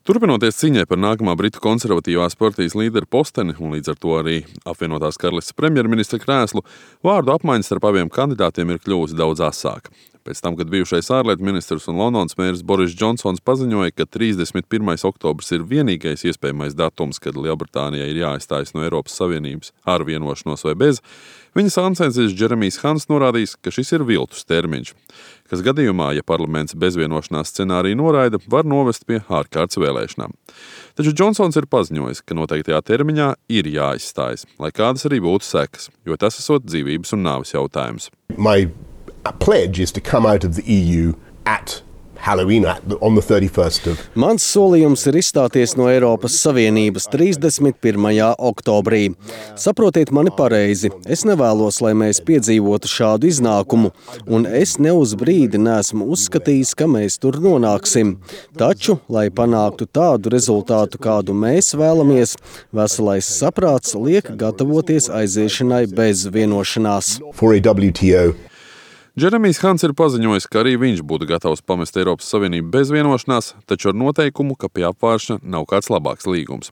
Turpinoties cīņai par nākamā Britu konservatīvās partijas līdera posteni un līdz ar to arī apvienotās karalistes premjerministra krēslu, vārdu apmaiņas starp abiem kandidātiem ir kļuvusi daudz asāka. Pēc tam, kad bijušais ārlietu ministrs un Londonas mērs Boris Džonsons paziņoja, ka 31. oktobrs ir vienīgais iespējamais datums, kad Lielbritānijai ir jāizstājas no Eiropas Savienības ar vienošanos vai bez, viņa sāncensīs Džeremijs Hants norādījis, ka šis ir viltus termiņš, kas gadījumā, ja parlaments bezvienošanās scenāriju noraida, var novest pie ārkārtas vēlēšanām. Taču Džonsons ir paziņojis, ka noteiktajā termiņā ir jāizstājas, lai kādas arī būtu sekas, jo tas esot dzīvības un nāves jautājums. My pledge is to come out of the EU at Halloween on the 31st of... Mans solījums ir izstāties no Eiropas Savienības 31. oktobrī. Saprotiet mani pareizi, es nevēlos, lai mēs piedzīvotu šādu iznākumu, un es ne uz brīdi neesmu uzskatījis, ka mēs tur nonāksim. Taču, lai panāktu tādu rezultātu, kādu mēs vēlamies, veselais saprāts liek gatavoties aiziešanai bez vienošanās. For a WTO. Džeremijs Hants ir paziņojis, ka arī viņš būtu gatavs pamest Eiropas Savienību bez vienošanās, taču ar noteikumu, ka pie apvāršana nav kāds labāks līgums.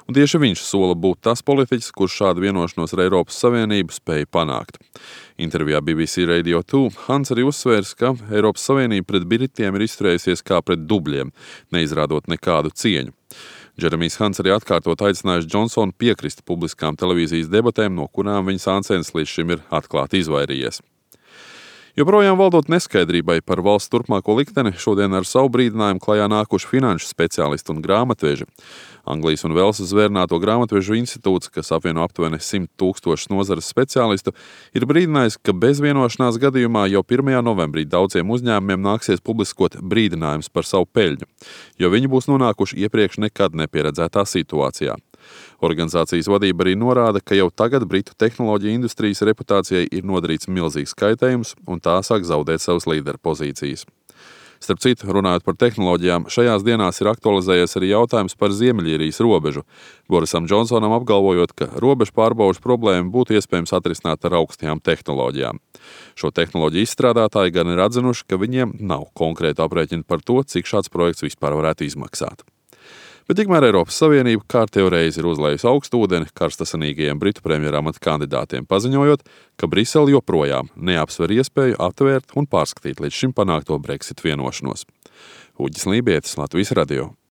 Un tieši viņš sola būt tas politiķis, kurš šādu vienošanos ar Eiropas Savienību spēja panākt. Intervijā BBC Radio 2 Hants arī uzsvērs, ka Eiropas Savienība pret Britiem ir izturējusies kā pret dubļiem, neizrādot nekādu cieņu. Džeremijs Hants arī atkārtot aicinājis Džonsonu piekrist publiskām televīzijas debatēm, no kurām viņa sāncens līdz šim ir atklāti izvairījies. Joprojām valdot neskaidrībai par valsts turpmāko likteni, šodien ar savu brīdinājumu klajā nākuši finanšu speciālisti un grāmatveži. Anglijas un Velsas zvērnāto grāmatvežu institūts, kas apvieno aptuveni 100 000 nozares speciālistu, ir brīdinājis, ka bez vienošanās gadījumā jau 1. novembrī daudziem uzņēmumiem nāksies publiskot brīdinājums par savu peļņu, jo viņi būs nonākuši iepriekš nekad nepieredzētā situācijā. Organizācijas vadība arī norāda, ka jau tagad Britu tehnoloģiju industrijas reputācijai ir nodarīts milzīgs kaitējums un tā sāk zaudēt savas līderu pozīcijas. Starp citu, runājot par tehnoloģijām, šajās dienās ir aktualizējies arī jautājums par Ziemeļīrijas robežu, Borisam Džonsonam apgalvojot, ka robežu pārbaužu problēmu būtu iespējams atrisināt ar augstajām tehnoloģijām. Šo tehnoloģiju izstrādātāji gan ir atzinuši, ka viņiem nav konkrēta aprēķina par to, cik šāds projekts vispār varētu izmaksāt. Bet tikmēr Eiropas Savienība kārtējo reizi ir uzlējusi augstu ūdeni karstasanīgajiem Britu premjeramata kandidātiem, paziņojot, ka Brisele joprojām neapsver iespēju aptvērt un pārskatīt līdz šim panākto Brexit vienošanos. Uģis Lībietis, Latvijas radio.